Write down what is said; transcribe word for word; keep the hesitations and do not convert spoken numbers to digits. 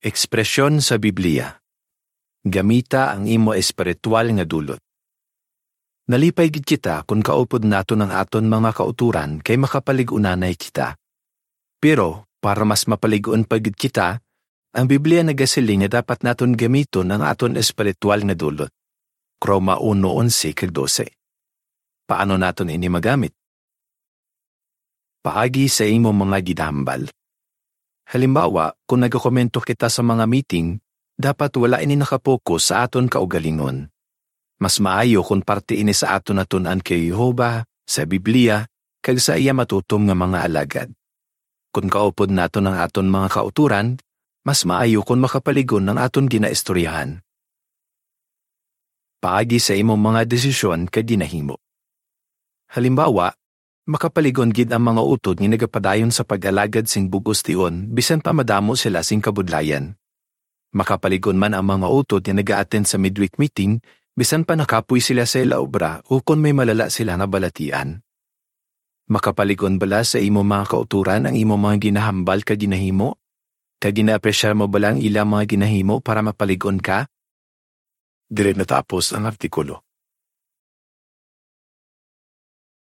Ekspresyon sa Biblia. Gamita ang imo espiritual nga dulot. Nalipay gid kita kon kaupod naton ang aton mga kautoran kay makapalig-unanay kita. Pero, para mas mapalig-on pa gid kita, ang Biblia nagasiling nga dapat naton gamiton ang aton espiritual nga dulot. Roma uno onse kag dose. Paano naton ini magamit? Paagi sa imo mga ginahambal. Halimbawa, kung nagakomento kita sa mga meeting, dapat wala ini nakapokus sa aton kaugalingon. Mas maayo kung parte ini sa aton natun-an kay Jehovah, sa Biblia, kag sa iya matutom nga mga alagad. Kung kaupod naton ang aton mga kautoran, mas maayo kung makapalig-on ang aton ginaistoryahan. Paagi sa imong mga desisyon kag ginahimo. Halimbawa, makapalig-on gid ang mga utod nga nagapadayon sa pag-alagad sing bug-os tion, bisan pa madamo sila sing kabudlayan. Makapalig-on man ang mga utod nga naga-attend sa midweek meeting, bisan pa nakapoy sila sa ila obra o kon may malala sila nga balatian. Makapalig-on bala sa imo mga kautoran ang imo mga ginahambal kag ginahimo? Kag ginaapresyar mo bala ang ila mga ginahimo para mapalig-on ka? Diri natapos ang artikulo.